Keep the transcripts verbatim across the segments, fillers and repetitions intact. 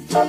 Salut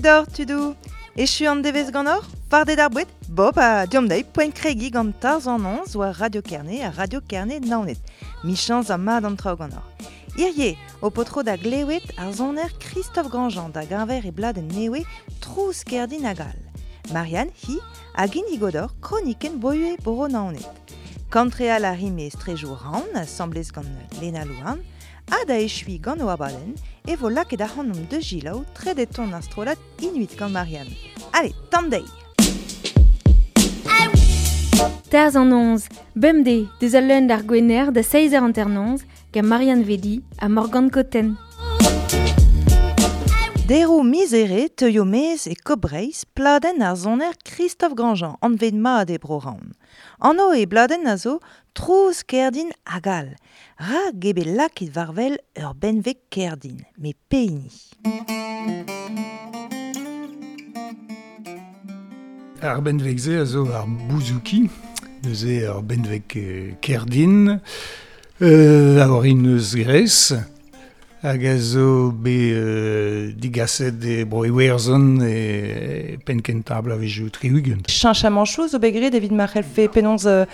d'or, tudou. Echu an devez gant or, fardet ar bouet, bob a diom dei poent kregi gant tarz an onz oa Radio Kerne a Radio Kerne naonet. Michans a mad an traoù gant or. Hirie, o potro da glewet ar zoner Christophe Grandjean da gañver e bladenn newe Trouz Kerdin hag all. Marianne, hi, hag indi godor kroniken boue boro naonet. Kantreal a rime strejou ran, asamblez gant Lena Louarn, ha da echui gant o abadenn, e vo lakaet ac'hanomp de gilaou tredeton ar strollad Inuit gant Marianne. Allez, tamm dezhi! Tarzh an onz, bemdez, deus al leun d'ar gwener da seizh eur hanternoz, gant Marianne Vedi ha Morgane Cotten. Deroù mizere teuio mez e Kobreiz pladenn ar soner Christophe Grandjean, anvet mat e Bro-Raon. Anv e bladenn a zo Trouz Kerdin hag all. Ra gebe lakaet war-wel ur benveg kerdin, me pehini. Ar benveg-se a zo ar bouzouki, neuze ar benveg kerdin, euh, a orin eus Gres, hag a zo bet euh, digaset e bro Iwerzhon e penn-kentañ bloavezhioù tri-ugent. Cheñchamant zo bet graet evit ma c'hellfe penaos euh,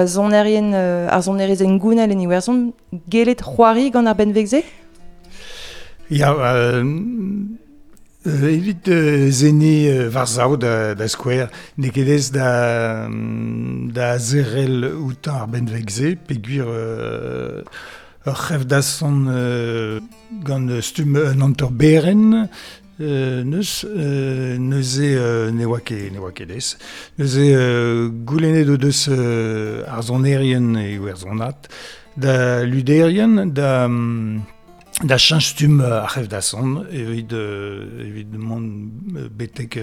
sonerien, euh, ar sonerezh engounel en Iwerzhon gellet c'hoari gant ar benveg-se? Ya, euh, euh, evit euh, zeni euh, war-sav da, da skouer, n'eo ket aes da, da zerrel outañ ar benveg-se, peogwir euh, ur c'hef dasson euh, gant stumm un hanter berenn, euh, neus, euh, neuze euh, ne oa ket, ne oa ket aes. Neuze euh, goulennet o deus euh, ar sonerien e iwerzhonat, da luderien, da, da cheñch stumm ar c'hef dasson, evit, euh, evit mont betek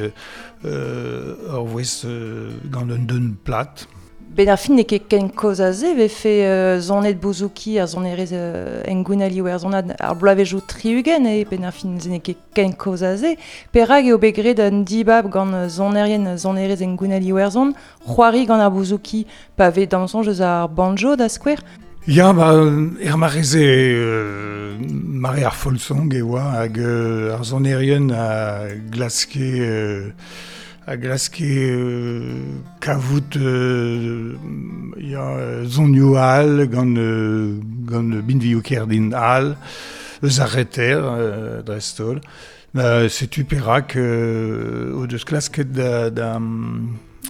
euh, ur voest euh, gant un deun plat. Ben ar fin n'eo ket ken kozh aze vefe euh, zonet bouzouki ar sonerezh euh, engounel iwerzhonat ar bloavezhioù tri-ugent e ben ar fin n'eo ket ken kozh aze. Perak eo bet graet un dibab gant sonerien sonerezh engounel iwerzhon, c'hoari gant ar bouzouki pa vez da'm soñj eus ar banjo da skouer? Ya, ba, er mare-se euh, mare ar folksong e oa hag euh, ar sonerien a glaske euh, a glaske euh, kavout euh, ya zonioù all gant, euh, gant binvioù kerdin all, eus ar reter euh, dreist-holl. Euh, setu perak euh, o deus klasket da, da,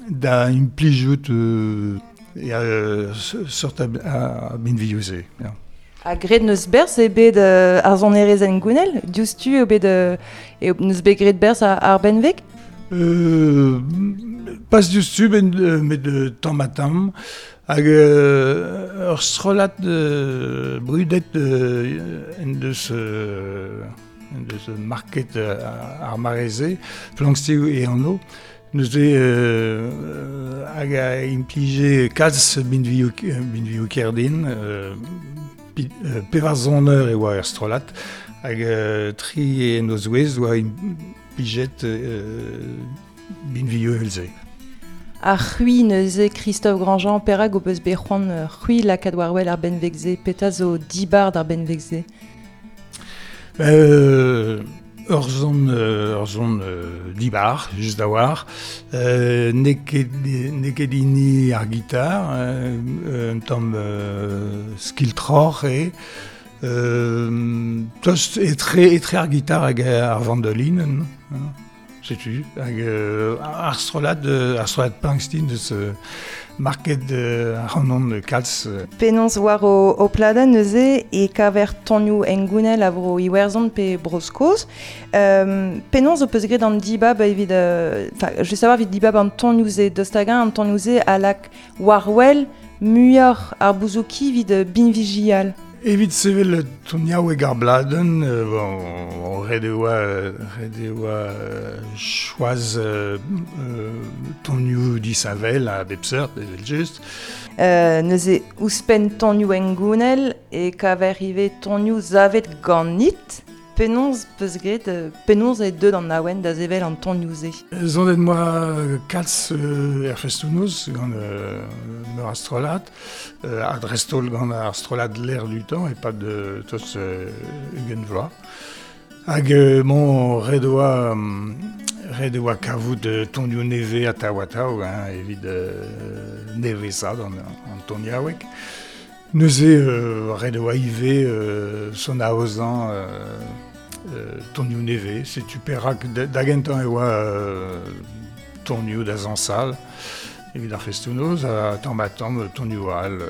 da implijout euh, ya, euh, sort a, a binvioù-se. Ya. Ha graet neus berzh eo bet euh, ar sonerezh engounel, diouzhtu eo bet euh, eo neus bet graet berzh ar, ar benveg? Euh, pas diouzhtu, ben, euh, met euh, tamm ha tamm, hag euh, ur strollad euh, brudet euh, en deus, euh, en deus market euh, ar mare-se, Planxty e anv, neuze euh, hag a implije kalz binvioù, binvioù kerdin, euh, pi, euh, pevar soner e oa er strollad, hag euh, tri en o zouez oa implijet euh, binvioù evel-se. Ar c'hwi neuze Christophe Grandjean, perak o peus bet c'hoant c'hwi lakaat war-wel ar benveg-se, petra zo dibar d'ar benveg-se? Euh, ur zon, ur zon euh, dibar, just a-walc'h. Euh, n'eo ket, n'eo ket hini ar gitar, euh, un tamm euh, skiltroc'h eo. Euh, tost etre, etre ar gitar hag ar vandolinenn, hein, setu. Hag euh, ar strollad, ar strollad Planxty deus euh, market euh, ar c'hanon kalz. Penaos war o, o pladenn neuze e kaver tonioù engounel a vro Iwerzhon pe Bro-Skos. Euh, penaos o peus graet an dibab evit... Enfin, euh, je veux savoir evit dibab an tonioù-se deus hag-eñ an tonioù-se a lak war-wel muioc'h ar bouzouki evit binvijial. Evit sevel toniaoueg ar bladenn, euh, bon, ret e oa, ret e oa choaz euh, euh, tonioù disheñvel a bep seurt, evel just. Euh, neuze ouzhpenn tonioù engounel e kaver ivez tonioù zavet ganit. Penaos peus graet, penaos eo deuet an awen da sevel an tonioù-se? Zonet moa kalz euh, er festoù-noz gant euh, meur a strollad, euh, ha dreist-holl gant ar strollad L'air du temps e-pad euh, tost euh, ugent vloaz. Hag euh, mon ret oa, ret oa kavout euh, tonioù nevez atav atav, hein, evit euh, nevesaat an, an toniaoueg. Neuze euh, ret oa ivez euh, son aozañ euh, euh, tonioù nevez. Setu perak da gentañ e oa euh, tonioù da zañsal evit ar festoù-noz, ha tamm ha tamm tonioù all euh,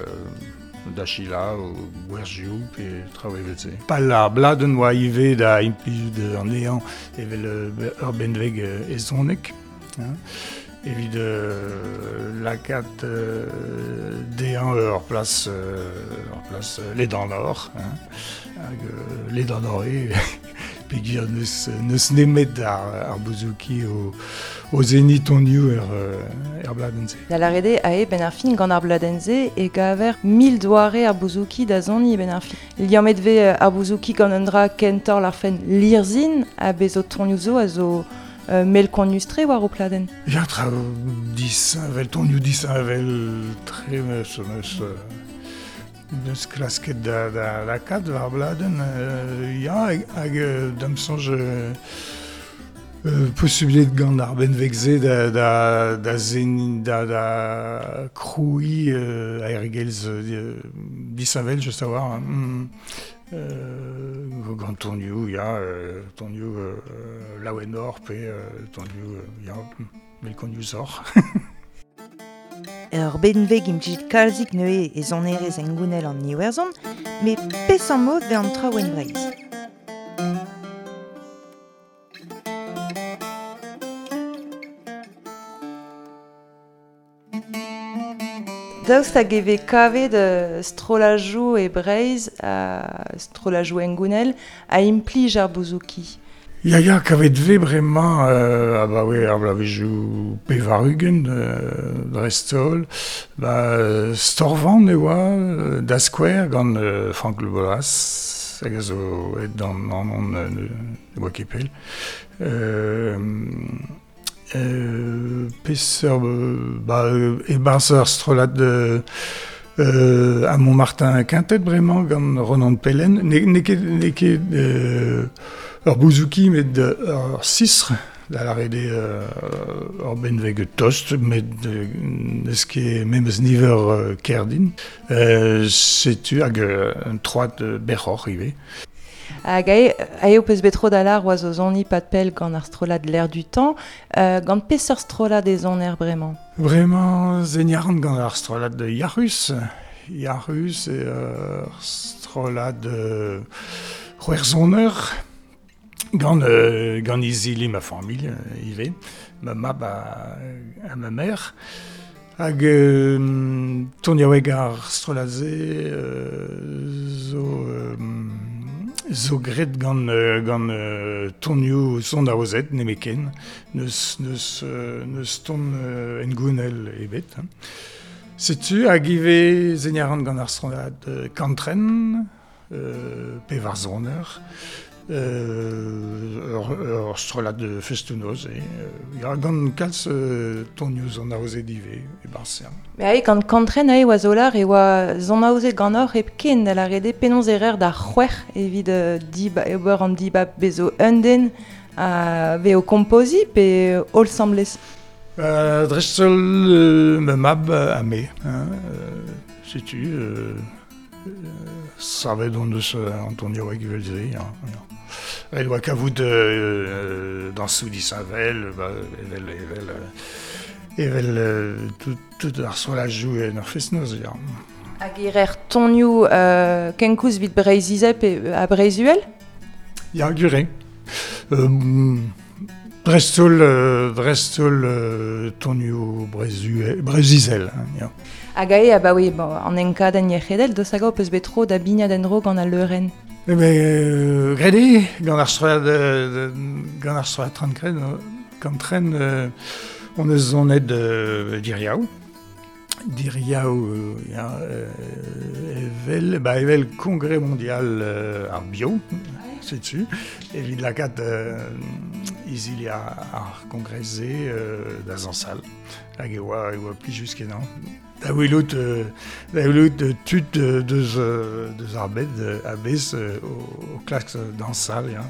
da Chila o gwerzioù pe traoù evel-se. Pal ar bladenn oa ivez da implijout an ehan evel ur benveg ezonek, hein, evit euh, lakaat euh, dezhañ ur plas, euh, ur plas ledanoc'h, hein, hag euh, ledanoc'h eo, peogwir n'eus, n'eus nemet ar, ar bouzouki o, o seniñ tonioù er, er bladenn-se. Da lâret eo ae ben ar fin gant ar bladenn-se e gaver mil doare ar bouzouki da soniñ ben ar fin. Liammet vez ar bouzouki gant un dra kentoc'h l'arfen lirzhin ha bez zo tonioù zo a zo euh, melkonius-tre war o pladenn. Ya, traoù disheñvel, tonioù disheñvel tre meus, meus, neus klasket da, da lakaat war bladenn. Euh, ya, hag euh, da'm soñj euh, euh, posublet gant ar benveg-se da, da, da zen, da, da krouiñ euh, aergelc'h euh, disheñvel, just a-walc'h. Mm. Euh, gant tonioù, ya, euh, tonioù euh, laouenoc'h pe euh, tonioù, euh, ya, melkoniusoc'h. Ur benveg implijet kalzik neuze e sonerezh engounel an Iwerzhon, met peseurt mod vez an traoù en Breizh. Daoust hag e vez kavet euh, strollajoù e Breizh, a strollajoù engounel, a implij ar bouzouki? Ya, ya, kavet vez bremañ, euh, abaoe ar bloavezhioù pevar-ugent, euh, dreist-holl, ba, Storvan e oa, da skouer gant euh, Franck Le Bolas, hag a zo aet d'an anon euh, ne oa ket pell. Euh, euh, peseurt, ba, e-barzh ar strollad euh, euh, a Montmartin Quintet bremañ gant Ronan Pellen, ne, ne ket, ne ket euh, ur bouzouki met ur sistr, da lâret eo euh, ur benveg tost, met euh, n'eus ket memes niver euh, kerdin. Euh, setu hag euh, un troad berroc'h ivez. Hag ae, ae ho peus bet tro da lâr oa zo soniñ pad pell gant ar strollad L'air du temps, euh, gant peseurt strollad e soner bremañ? Bremañ seniñ a ran gant ar strollad Yac'hus. Yac'hus eo ur strollad euh, c'hwec'hsoner, gant, euh, gant izili ma familh euh, ivez, ma mab ha, ha ma mère. Hag euh, toniaoueg ar strollad-se euh, zo, euh, zo graet gant, euh, gant euh, tonioù son aozet nemetken, n'eus, n'eus, euh, n'eus ton euh, engounel ebet. Hein. Setu hag ivez seniñ a ran gant ar strollad euh, Kantren, euh, pevar soner, euh, ur, ur strollad de festoù-noz, e, euh, ya, gant kalz euh, tonioù son aozet ivez, e-barzh. Mais ae, gant Kantren ae oa zo lâr e oa son aozet ganeoc'h hepken, da lâret eo penaos e reer da c'hwec'h evit euh, diba, ober an dibab bezo un den a vez o kompoziñ pe holl asambles? Euh, dreist-holl euh, ma mab ha me, hein, euh, setu, euh, euh, savet hon deus an toniaoueg evel-se, ya, ya. Ret oa kavout euh, dañsoù disheñvel, ba, evel, evel, evel euh, tout, tout ar strollajoù en ur fest-noz, ya. Hag e reer tonioù euh, kenkoulz evit Breizh-Izel pe ha Breizh-Uhel? Ya, gwir eo. Euh, dreist-holl, euh, dreist-holl euh, tonioù Breizh-Uhel, Breizh-Izel, hein, ya. Hag ae, abaoe, bon, an enkadenn yec'hedel, deus hag ho peus bet tro da bignat en-dro gant al leurenn? Eh ben, euh, graet eo, gant ar strollad, euh, gant ar strollad Trankren, Kantren, euh, on eus zonet euh, diriaou. Diriaou, euh, ya, euh, evel, ba, evel Congrès mondial euh, ar bio, setu, evit lakaat euh, izili ar, ar kongrez-se euh, da zañsal. Hag e oa, e oa plijus kenañ. Da welout, euh, da welout euh, tud euh, deus, euh, deus ar bed euh, a-bezh euh, o, o klask dañsal, ya.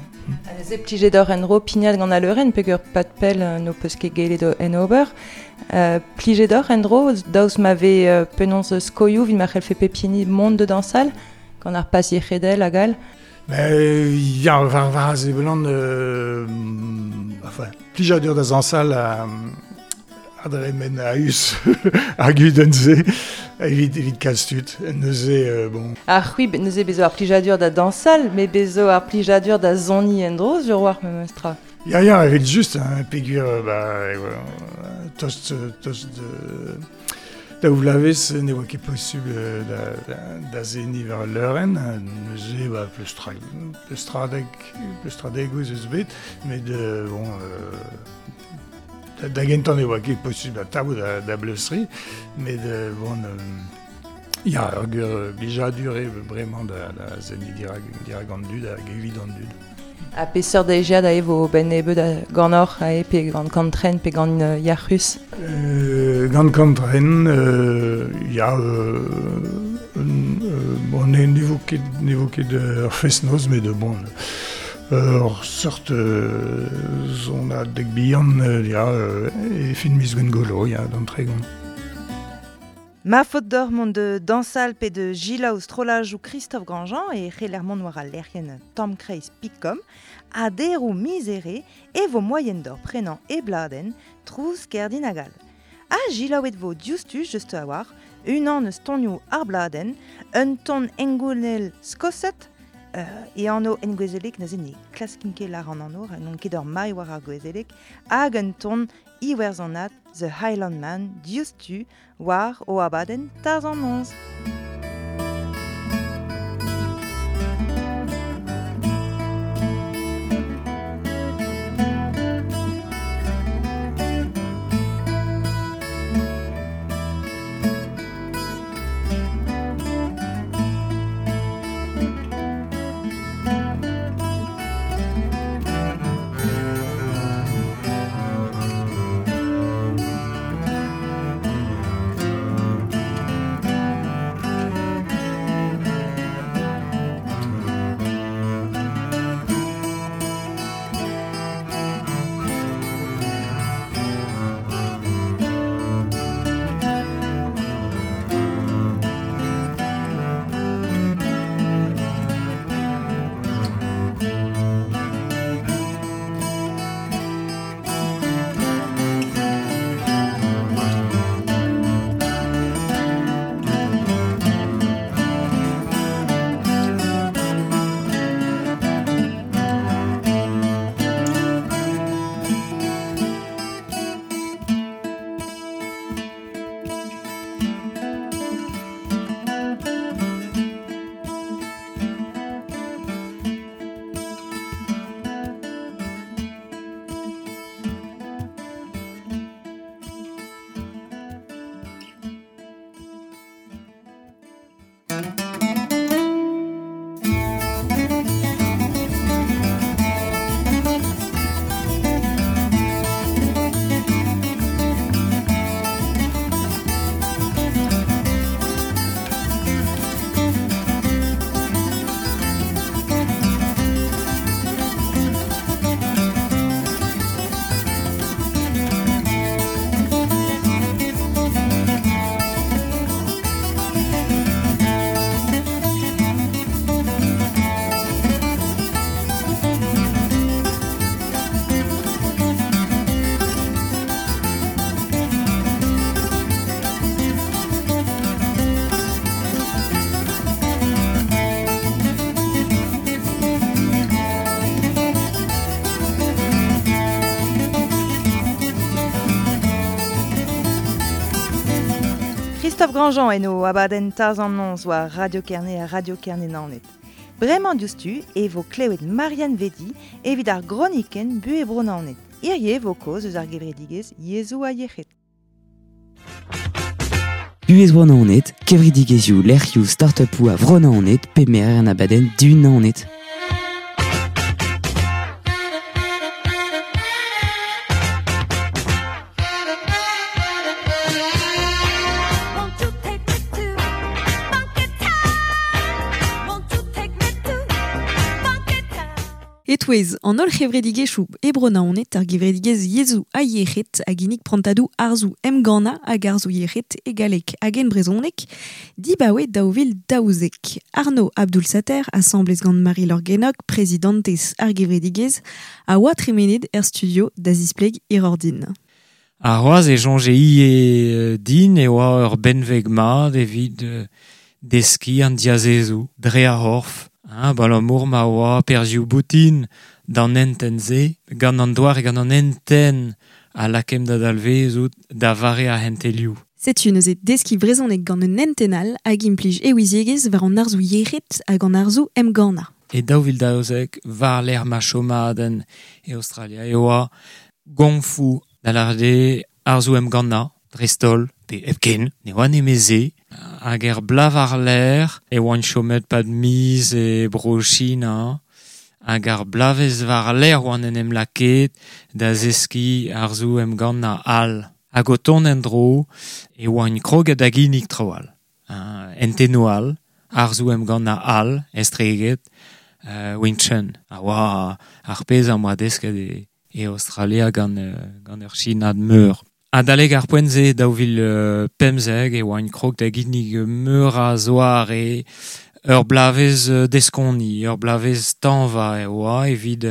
Ha neuze plijet oc'h en-dro pignat gant al leurenn peogwir pad pell euh, n'ho peus ket gellet en ober. Euh, plijet oc'h en-dro daoust ma vez euh, penaos skoioù evit ma c'hellfe pep hini mont da dañsal gant ar pas yec'hedel hag all. Mais ya, war, war a seblant, euh, enfin, plijadur da zañsal a, a dremen a-us ar gudenn-se evit, evit kalz tud. Neuze, euh, bon. Ar c'hwi neuze bezo ar plijadur da dañsal, met bezo ar plijadur da soniñ en-dro sur war memes tra. Ya, ya, evit just, hein, peogwir, ba, tost, tost de, da ouvlavez ne oa ket posubl da, da, da seniñ war al leurenn, neuze, ba, pleustra, pleustradeg, pleustradeg eus eus bet, met euh, bon, euh, da, da gentañ ne oa ket posubl atav da, da bleustri, met euh, bon, euh, ya, ur gwir blijadur eo bremañ da, da seniñ dirak, dirak an dud hag evit an dud. Ha peseurt deiziad a vo ben nebeud a ganeoc'h a e pe gant Kantren pe gant euh, Yac'hus? Euh, gant Kantren, euh, ya, euh, euh, bon, ne, ne vo ket, ne vo ket ur fest-noz, met bon, ur seurt euh, sonadeg bihan, euh, ya, euh, e fin miz Gwengolo, ya, d'an tregont. Ma faot deoc'h mont de dañsal pe de selaou strollajoù Christophe Grandjean e c'heller mont war al lec'hienn tammkreiz picom ha deroù miz Here e vo moaien d'or prenañ e bladenn Trouz Kerdin hag all. Ha selaouet vo diouzhtu just a-walc'h unan eus tonioù ar bladenn, un ton hengounel skosat, euh, e anv engouezelek neuze ne klaskin ket lâr an anv, n'on ket ur mailh war ar gouezeleg, hag un ton iwerzhonat The Highland Man diouzhtu war o abadenn Tarzh an Noz. Christophe Grandjean eno abadenn Tarzh an Noz war Radio Kerne ha Radio Kerne Naoned. Bremañ diouzhtu e vo klevet Marianne Vedi evit ar gronikenn Buhez Bro Naoned. Hirie vo kaoz eus ar gevredigezh Yezhoù ha Yec'hed. Buez oan aonet, kevredigezhioù lec'hioù start-upoù a vro Naoned pe merer an abadenn du Naoned. Etouez, an holl c'hevredigezhioù e bro Naoned ar gevredigezh yezhoù ha yec'hed hag ginnig prantadoù arzoù emgannañ hag arzoù yec'hed e galleg hag en brezhoneg dibaoe daou vil daouzek. Arnaud Abdoul-Sater, asamblez gant Marie-Laure Guénoc, prezidantez ar gevredigezh, a oa tremenet er studio da zispleg Irordin. Ar c'hoazh e soñje ivez din e oa ur benveg mat evit deskiñ an diazezoù dre ar c'horf. Hein, abalamour ma oa perzhioù boutin d'an hentenn-se, gant an doare gant an hentenn a lakaemp da dalvezout da vare ar hentelioù. Setu neuze deskiñ brezhoneg gant un hentenn all hag implij e ouiziegezh war an arzoù yec'hed hag an arzoù emgannañ. E daou vil daouzek war lec'h ma chomadenn e Australia e oa gongfu da lâret eo arzoù emgannañ, dreist-holl, pe hepken, ne oa nemeze. Hag er blav ar lec'h e oan chomet pad miz e bro China, hag ar blavez war lec'h oan en em lakaet da zeskiñ arzoù emgannañ all. Hag o tont en-dro e oan kroget da ginnig traoù all. Hentennoù all, arzoù emgannañ all, estreget, uh, Wing Chun. A oa ar pezh am boa desket e, e Australia gant, gant ur Chinad meur. Adalek ar poent-se daou vil pemzek e oan krog da ginnig meur a zoare ur blavez deskoni, ur blavez tañva e oa evit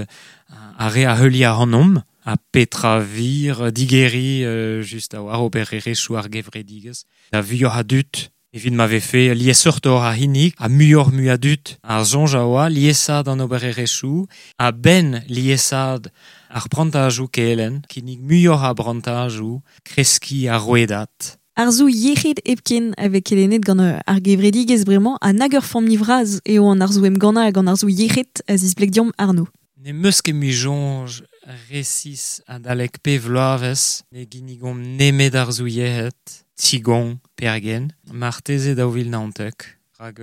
ar re a heuliañ ac'hanomp ha petra vir digeriñ just a oar obererezhioù ar gevredigezh. Da vuioc'h a dud evit ma vefe liesseurtoc'h a hinnig ha muioc'h mui a dud. Ar soñj a oa liesaat an obererezhioù ha ben liesaat ar prantajoù kelenn, kinnig muioc'h a brantajoù, kreskiñ ar rouedad. Arzoù yec'hed hepken a vez kelennet gant ar gevredigezh bremañ ha nag ur familh vras eo an arzoù emgannañ hag an arzoù yec'hed a zispleg deomp Arnaud. Ne meus ket mui soñj resis adalek pe vloavezh ne ginnigomp nemet arzoù yec'hed, Qigong, pergen, marteze daou vil naontek. Rak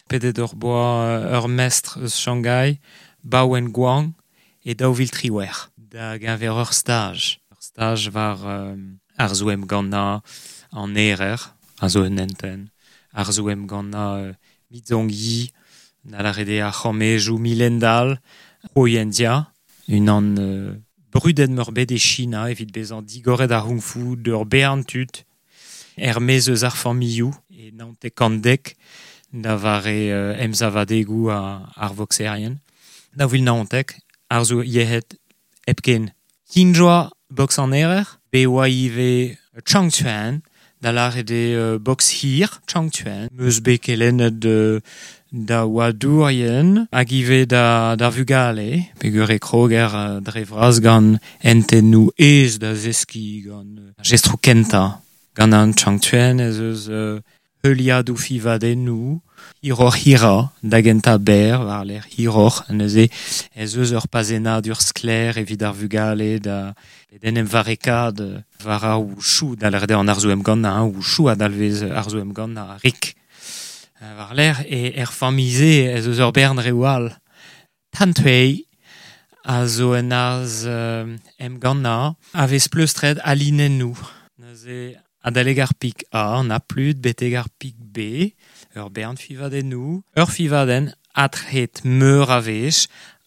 pedet ur boa ur mestr eus Shanghai, Bao Wen Guang, e daou vil triwec'h. Da geñver ur staj. Ur staj war euh, arzoù emgannañ an erer, a zo un hentenn, arzoù emgannañ euh, Mizong Yi, na lâret eo ar c'hammejoù milendall, Ho Yanjia, unan euh, brudet meurbet e China evit bezañ digoret ar Kung Fu d'ur bern tud, er maez eus ar familhoù, e naontek kant dek, da vare euh, emsavadegoù ar voxerien. Daou vil naontek, arzoù yec'hed hepken. Kinjoa box an erer, be oa ivez Changquan, da lâret eo box hir, Changquan, meus bet kelennet euh, da oadourien hag ivez da, da vugale, peogwir e kroger euh, dre vras gant hentennoù aes da zeskiñ gant euh, jestroù kentañ. Gant an Changquan ez eus euh, heuliadoù fivadennoù, hiroc'h hirañ, da gentañ berr, war lec'h hiroc'h, neuze ez eus ur pazennadur sklaer evit ar vugale da d'en em varekaat war ar wushu, da lâret eo an arzoù emgannañ, wushu a dalvez arzoù emgannañ rik. War lec'h e er familh-se ez eus ur bern reoù all. Tantui a zo un arz euh, emgannañ a vez pleustret a linennoù. Neuze adalek ar pik A, an aplud, betek ar pik B, ur bern fivadennoù, ur fivadenn atret meur a wech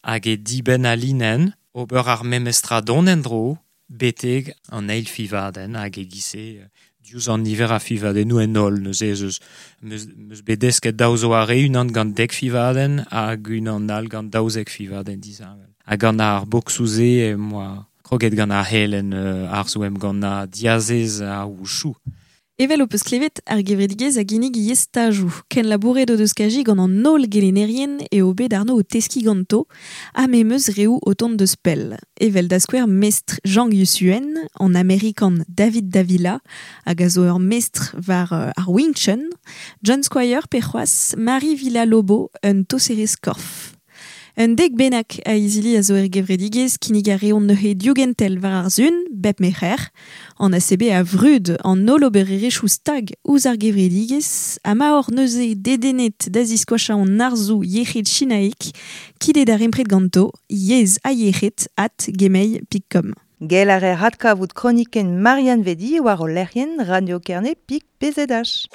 hag e dibenn a linenn, ober ar memestra dont en-dro, betek an eil fivadenn hag e giz-se diouzh an niver a fivadennoù en holl. Neuze ez eus meus, meus bet desket daou zoare, unan gant dek fivadenn hag unan all gant daouzek fivadenn disheñvel. Hag gant ar boksoù-se em boa kroget gant ar helenn euh, arzoù emgannañ diazez ar wushu. Evel ho peus klevet ar gevredigezh a ginnig ivez stajoù. Ken labouret o deus kaji gant an holl gelennerien eo bet Arnaud o teskiñ ganto, ha memes reoù o tont deus pell. Evel da skouer mestr Zhang Yusuen, an Amerikan David Davila, hag a zo ur mestr war euh, ar Wing Chun, John Squire pe c'hoazh Marie Villa-Lobo, un toserez korf. Un dek bennak a izili a zo er gevredigez kinnig a reont neuze diogentel war ar zun, bep mecher. An A C B a vrud an holl obererezhioù stag ouzh ar gevredigez, ha ma hor neuze dedennet da ziskoachañ an arzoù yec'hed chinaek, kidet ar empred ganto, yezh ha yec'hed at gmail pik com. Gell ar er hadkavout kronikenn Marianne Vedi war o lec'hienn Radio Kerne pik P Z H.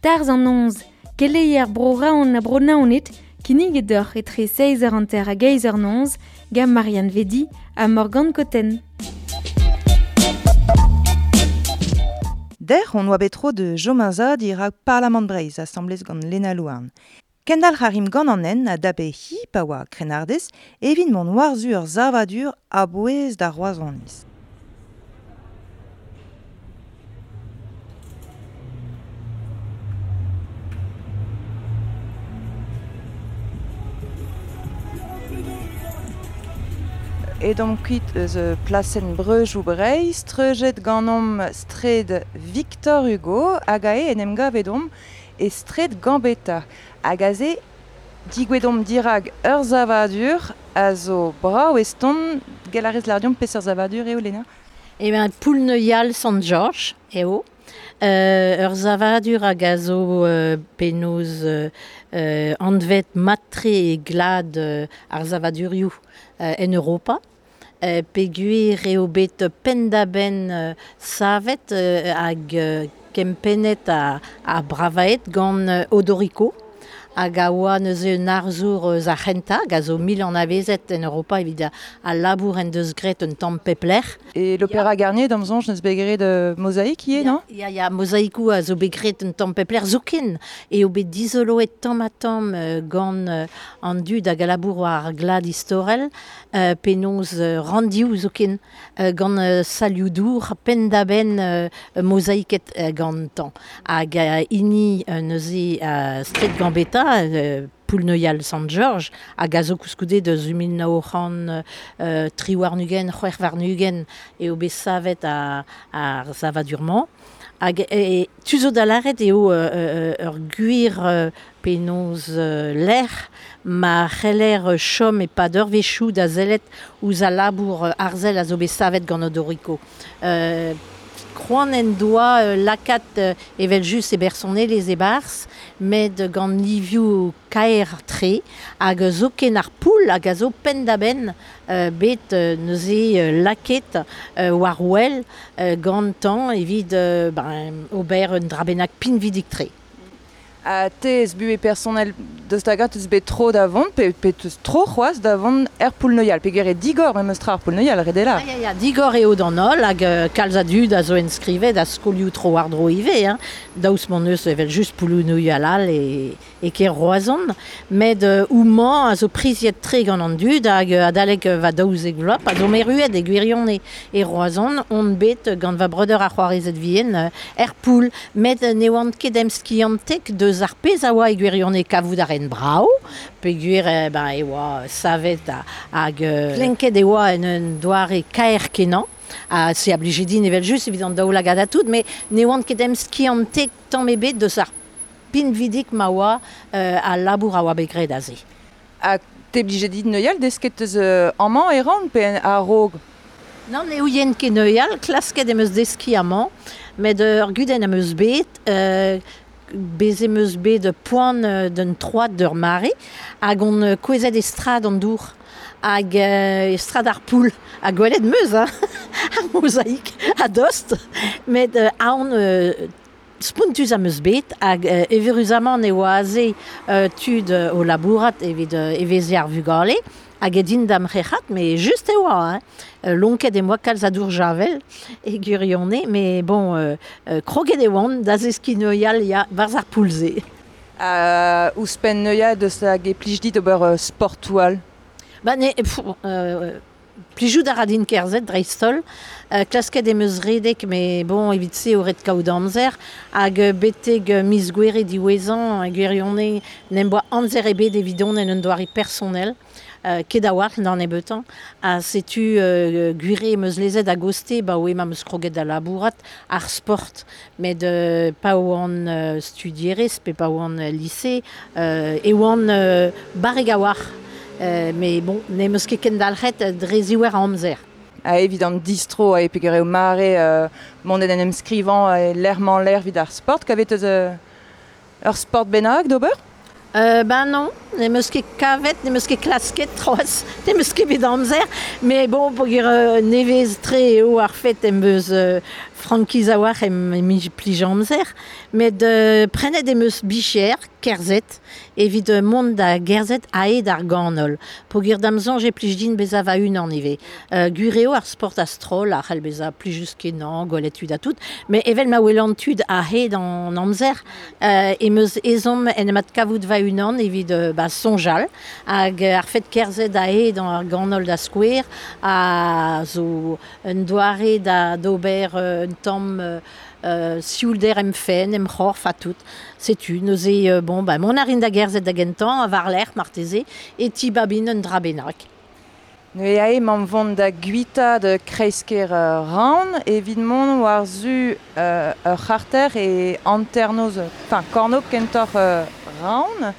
Tarzh an noz, keleier bro Raon ha bro Naoned, kinniget deoc'h etre seizh eur hanter hag eizh eur noz, gant Marianne Vedi ha Morgane Cotten. Der on oa bet tro de Jomaza dirak Parlamant Breizh asamblez gant Lena Louarn. Kendal c'harim gant an en a dape hi pa oa krennardez evit mont war-zu ur savadur a-bouez da Roazhoniz. Edomp kuit eus plasenn Breujoù Breizh, treujet ganeomp straed Victor Hugo hag ae en em gav edomp e straed Gambetta. Hag aze, digwedomp dirag ur savadur a zo brav eston, gell a rez lardiomp peseurt savadur eo, Lena? Eh ben, Poulneuial Sant-Georges eo. Euh, ur savadur hag a zo euh, penaos euh, euh, anvet matre e glad euh, ar savadurioù euh, en Europa. Euh, peogwir eo bet penn-da-benn euh, savet euh, hag euh, kempennet a, a bravaet gant euh, Odorico. Hag a oa neuze un arzour eus ar c'hentañ, hag a zo mil anavezet en Europa evit a, a labour en deus graet un tamm pepler. E l'Opéra Garnier, d'am soñj, neus bet graet euh, mozaïk ivez, non? Ya, ya, mozaïkoù a zo bet graet un tamm pepler zoken. Eo bet dizoloet tamm ha tamm euh, gant euh, an dud hag a labour war ar glad istorel, euh, penaos euh, randioù zoken, euh, gant euh, salioù dour, penn-da-benn euh, mozaïket euh, gantañ. Hag euh, hini euh, neuze euh, straed Gambetta, euh, Poulneuial Sant-Georges, hag a zo koulskoude deus mil nav c'hant euh, tri warn-ugent, c'hwec'h warn-ugent eo bet savet a, ar savadur-mañ. Hag e, tu zo da lâret eo euh, euh, ur gwir euh, penaos euh, lec'h ma c'heller chom e pad ur wechoù da sellet ouzh al labour arzel a zo bet savet gant Odorico. Euh, Kroan en doa euh, lakaat euh, evel just e bersonelezh e-barzh, met gant livioù kaer tre, hag zoken ar poull hag a zo penn-da-benn euh, bet euh, neuze euh, lakaet euh, war wel euh, gantañ evit euh, ben, ober un dra bennak pinvidik tre. Ha te ez buhez personnel deus da gat eus bet tro da vont, pe, pe teus tro c'hoazh da vont er Poulneuial, peogwir eo digor memes tra ar Poulneuial, ret eo Ya, ya, ya, digor eo d'an holl, hag euh, kalz a dud a zo enskrivet a skolioù tro war dro ivez, hein. Daoust m'hon eus evel just Poulneuial all e, e kêr Roazhon, met euh, houmañ a zo priziet tre gant an dud hag euh, adalek euh, va daouzek vloaz, pa zo merruet e gwirion e, e Roazhon, on bet gant va breudeur ar c'hoarezed vihan euh, er Poul, met euh, ne oant ket em skiantek deus ar pezh a oa e gwirion e kavout ar en brav, peogwir eh, ben, e oa savet ha, hag euh, klenket e oa en un doare kaer kenañ, ha se a blije din evel just evit an daoulagad ha tout, met ne oant ket em skiantek tamm ebet deus ar pinvidik ma oa euh, al labour a oa bet graet aze. Ha te blije dit neuial desket eus euh, amañ e ran pe a-raok? Non, ne ouien ket neuial, klasket em eus deskiñ amañ, met ur gudenn am eus bet, euh, bez em eus bet poan euh, d'un troad d'ur mare, hag on euh, kouezhet e strad an dour, hag euh, e strad ar poull, ha gwelet meus, hein, ar mozaïk a dost, met euh, aon euh, spontus am eus bet, hag euh, evuruzamant e oa aze euh, tud euh, o labourat evit euh, eveziñ ar vugale, hag e din da'm c'herc'hat, mais just e oa, hein. Euh, lonket e moa kalz a dour javel e gwirionez, mais bon, euh, euh, kroget e oan da zeskiñ neuial ya barzh ar poull-se. Ha ouzhpenn neuial deus hag e plij dit ober euh, sportoù all? Ba ne, pff, euh, plijout a ra din kerzhet dreist-holl, euh, klasket em eus redek, mais bon, evit se eo ret kaout amzer, hag euh, betek euh, miz gouere diwezhañ, gwirionez, n'em boa amzer ebet evidon en un doare personnel. euh, ket a war d'an ebetan, ha setu euh, gwire meus lezet a goste, ba oe ma meus kroget da labourat ar sport, met euh, pa oan euh, studierez, pe pa oan euh, lycée, euh, e oan euh, barreg a war, euh, mais bon, ne meus ket kendalc'het dre ziwer a amzer. A evit an distro a e peger eo mare euh, mont en em skrivañ e l'erman l'air vid ar sport, kavet eus euh, ur sport bennak d'ober? Euh, ben non, ne meus ket kavet, ne meus ket klasket troaz, ne meus ket bet amzer, mais bon, peogwir euh, nevez tre eo ar fet em beus euh, frankiz a war em, em plij amzer, met euh, prenet em eus bicher, kerzet, evit euh, mont da gerzet aet ar ganol. Peogwir da'm soñj e plij din bezañ va unan ivez. Euh, gwir eo ar sport a-stroll, a c'hell bezañ plijus kenañ, gwelet tud ha tout, met evel ma welan tud a-hed an amzer, euh, em eus ezhomm en em adkavout va unan evit euh, ba, soñjal, hag ar fet kerzet aet ar ganol da skouer, a zo un doare da d'ober euh, un tamm euh, euh, sioulder em fenn, em c'horf ha tout. Setu, neuze, euh, bon, ba, mont a rin da gerzet da gentañ, a war-lerc'h marteze, e ti babin un dra bennak. Neuze ae mamm vont da guita de kreisker euh, Raon, evit mont war zu euh, ur c'harter e hanternoz, enfin, kornôg kentoc'h euh, Raon.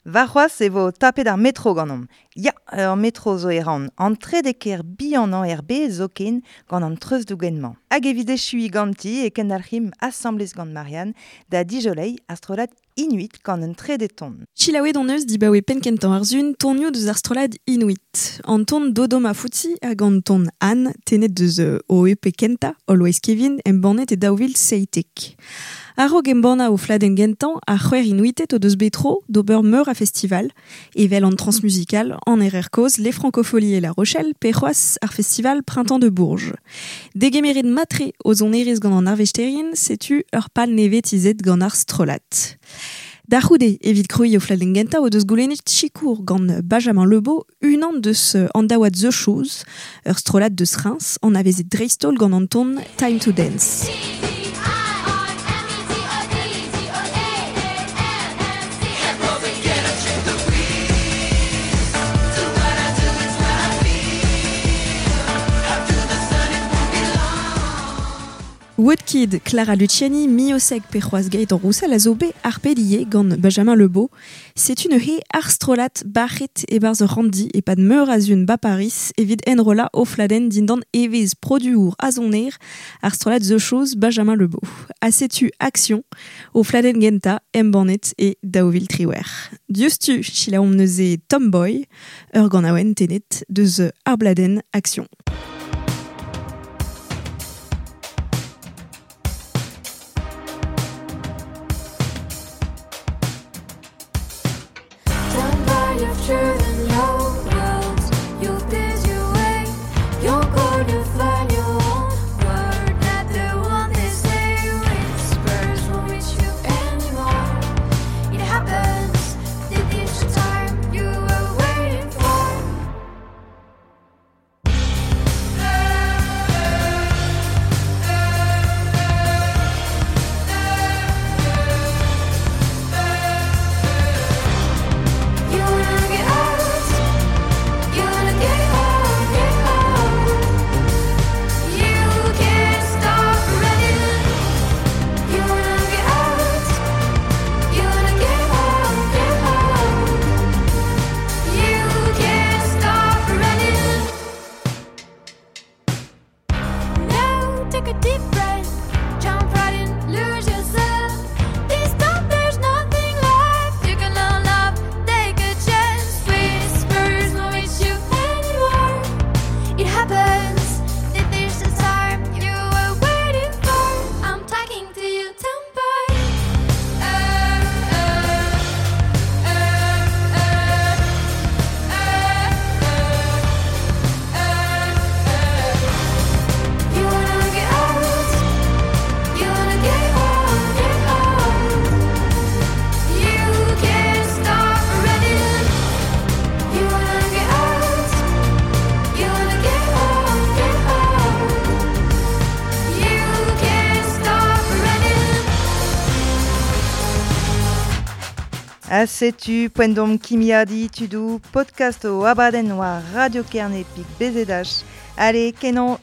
Warc'hoazh e vo tapet ar metro ganeomp. Ya, ur metro zo e Raon. An trede kêr bihanañ er bed zoken gant an treuzdougen-mañ. Hag evit echuiñ ganti e kendalc'himp asambles gant Marianne da dijolei ar strollad Inuit gant un trede ton. Chilaouet on eus dibaoe penn kentañ ar sun tonioù deus ar strollad Inuit. An ton Dodoma Fouti hag an ton Anne tenet deus euh, o E P kentañ, Always Kevin, embannet e daou vil seitek. A-raok embannañ o fladenn gentañ, ar c'hwec'h Inuited o deus bet tro d'ober meur a festival, evel an Transmusical, an R R Koz, les Francopholies et La Rochelle, pe c'hoazh ar festival Printemps de Bourges. Degemeret matre o sonerezh gant an arvesterien, setu ur pal nevez tizhet gant ar strollad. Da c'houde, evit krouiñ o fladenn gentañ o deus goulennet sikour gant Benjamin Lebeau, unan deus an daouad The Shoes, ur strollad deus Reims, an avezet dreist-holl gant an ton Time to Dance. Woodkid, Clara Luciani, Miosek pe c'hoazh Gaëtan Roussel a zo bet ar pedier gant Benjamin Lebeau. C'est une he ar strollad barret e-barzh ur randi e pad meur a zun ba Paris evit enrollañ o fladenn dindan evezh produour a soner ar strollad The Shoes Benjamin Lebeau. Ha setu Action o fladenn gentañ embannet e daou vil triwec'h. Diouzhtu selaouomp neuze Tomboy, ur ganaouenn tenet deus ar bladenn Action. Time you were waiting for. Ha setu poent dom kimiadi tudou, podcast o abadenn war Radio Kerne pik bezedach. Allez, kenon.